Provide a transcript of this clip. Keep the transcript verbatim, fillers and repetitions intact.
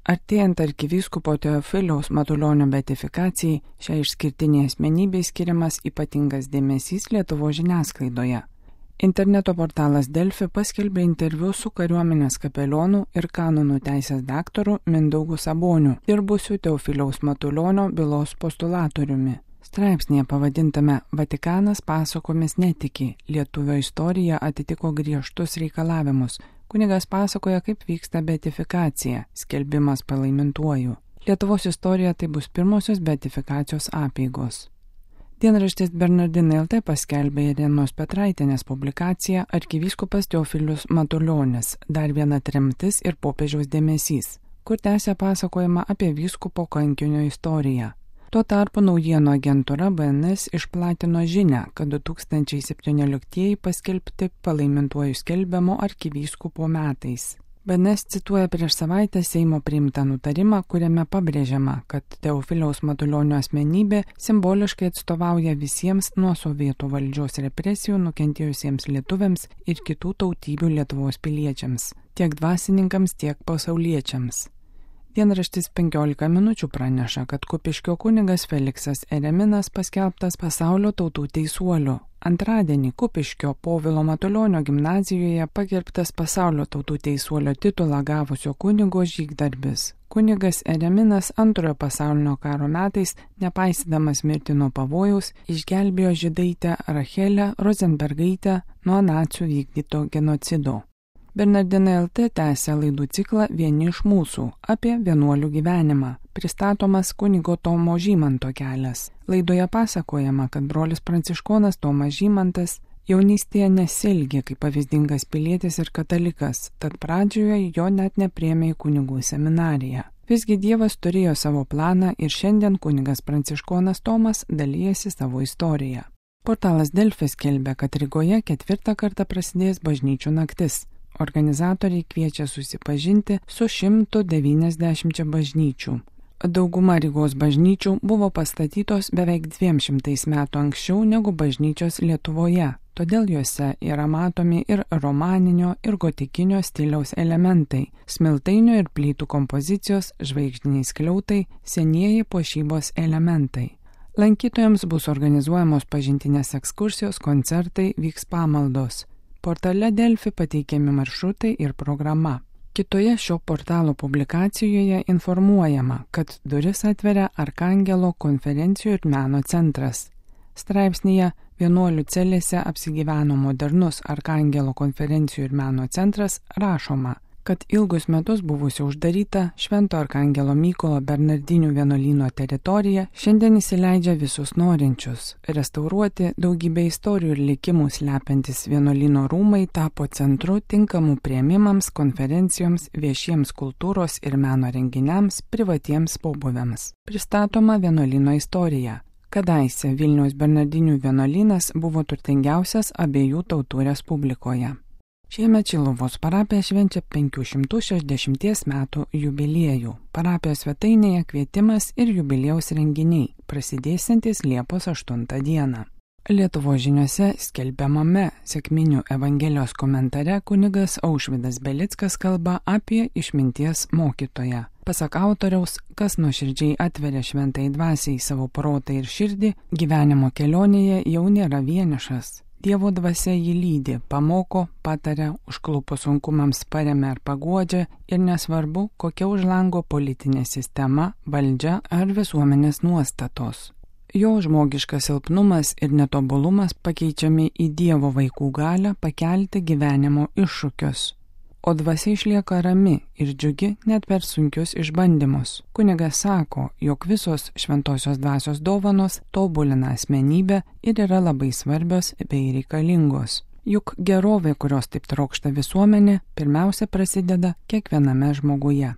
Artėjant arkivyskupo Teofiliaus Matulionio beatifikacijai, šiai išskirtiniai asmenybei skiriamas ypatingas dėmesys Lietuvos žiniasklaidoje. Interneto portalas Delfi paskelbė interviu su kariuomenės kapelionu ir kanonų teisės daktaru Mindaugu Saboniu, dirbusiu Teofiliaus Matulionio bylos postulatoriumi. Straipsnėje pavadintame Vatikanas pasakomis netiki, lietuvio istorija atitiko griežtus reikalavimus. Kunigas pasakoja, kaip vyksta beatifikacija, skelbimas palaimintuoju. Lietuvos istorija tai bus pirmosios beatifikacijos apeigos. Dienraštis Bernardinai L T paskelbė Irenos Petraitienės publikaciją Arkivyskupas Teofilius Matulionis, dar viena tremtis ir popiežiaus dėmesys, kur tęsia pasakojimą apie vyskupo kankinio istoriją. Tuo tarpu naujienų agentūra B N S išplatino žinią, kad du tūkstančiai septynioliktieji paskelbti palaimintuoju skelbiamo arkivyskupo metais. B N S cituoja prieš savaitę Seimo priimtą nutarimą, kuriame pabrėžiama, kad Teofiliaus Matulionio asmenybė simboliškai atstovauja visiems nuo sovietų valdžios represijų nukentėjusiems lietuviams ir kitų tautybių Lietuvos piliečiams, tiek dvasininkams, tiek pasauliečiams. Dienraštis penkiolika minučių praneša, kad Kupiškio kunigas Feliksas Ereminas paskelbtas pasaulio tautų teisuoliu. Antradienį Kupiškio Povilo Matulionio gimnazijoje pagerbtas pasaulio tautų teisuolio titulą gavusio kunigo žygdarbis. Kunigas Ereminas antrojo pasaulinio karo metais, nepaisydamas mirtino pavojaus, išgelbėjo žydaitę Rachelę Rozenbergaitę nuo nacių vykdyto genocido. Bernardinai L T tęsia laidų ciklą Vieni iš mūsų apie vienuolių gyvenimą, pristatomas kunigo Tomo Žymanto kelias. Laidoje pasakojama, kad brolis pranciškonas Tomas Žymantas jaunystėje nesielgė kaip pavyzdingas pilietis ir katalikas, tad pradžioje jo net nepriėmė į kunigų seminariją. Visgi Dievas turėjo savo planą ir šiandien kunigas pranciškonas Tomas dalyjasi savo istoriją. Portalas Delfi skelbia, kad Rygoje ketvirtą kartą prasidės bažnyčių naktis. Organizatoriai kviečia susipažinti su šimtu devyniasdešimčia bažnyčių. Dauguma Rygos bažnyčių buvo pastatytos beveik dviem šimtais metų anksčiau negu bažnyčios Lietuvoje, todėl juose yra matomi ir romaninio, ir gotikinio stiliaus elementai, smiltainio ir plytų kompozicijos, žvaigždiniai skliautai, senieji puošybos elementai. Lankytojams bus organizuojamos pažintinės ekskursijos, koncertai, vyks pamaldos. Portale Delfi pateikiami maršrutai ir programa. Kitoje šio portalo publikacijoje informuojama, kad duris atveria Arkangelo konferencijų ir meno centras. Straipsnyje Vienuolių celėse apsigyveno modernus Arkangelo konferencijų ir meno centras rašoma, kad ilgus metus buvusi uždaryta Švento Arkangelo Mykolo Bernardinių vienuolyno teritorija šiandien įsileidžia visus norinčius. Restauruoti daugybę istorijų ir likimų slepiantis vienuolyno rūmai tapo centru tinkamų priėmimams, konferencijoms, viešiems kultūros ir meno renginiams, privatiems pobūviams. Pristatoma vienuolyno istorija. Kadaise Vilniaus Bernardinių vienuolynas buvo turtingiausias abiejų tautų respublikoje. Šiemet Šiluvos parapija švenčia penkių šimtų šešiasdešimties metų jubiliejų. Parapijos svetainėje kvietimas ir jubiliejaus renginiai, prasidėsiantis Liepos aštuntą dieną. Lietuvos žiniose skelbiamame sekminių Evangelijos komentare kunigas Aušvydas Belickas kalba apie išminties mokytoją. Pasak autoriaus, kas nuoširdžiai atveria šventai dvasiai savo protą ir širdį, gyvenimo kelionėje jau nėra vienišas. Dievo dvasia jį lydi, pamoko, pataria, užklupus sunkumams paremia ar paguodžia ir nesvarbu, kokia už lango politinė sistema, valdžia ar visuomenės nuostatos. Jo žmogiškas silpnumas ir netobulumas pakeičiami į Dievo vaikų galią pakelti gyvenimo iššūkius. O dvasia išlieka rami ir džiugi net per sunkius išbandymus. Kunigas sako, jog visos šventosios dvasios dovanos tobulina asmenybę ir yra labai svarbios bei reikalingos. Juk gerovė, kurios taip trokšta visuomenė, pirmiausia prasideda kiekviename žmoguje.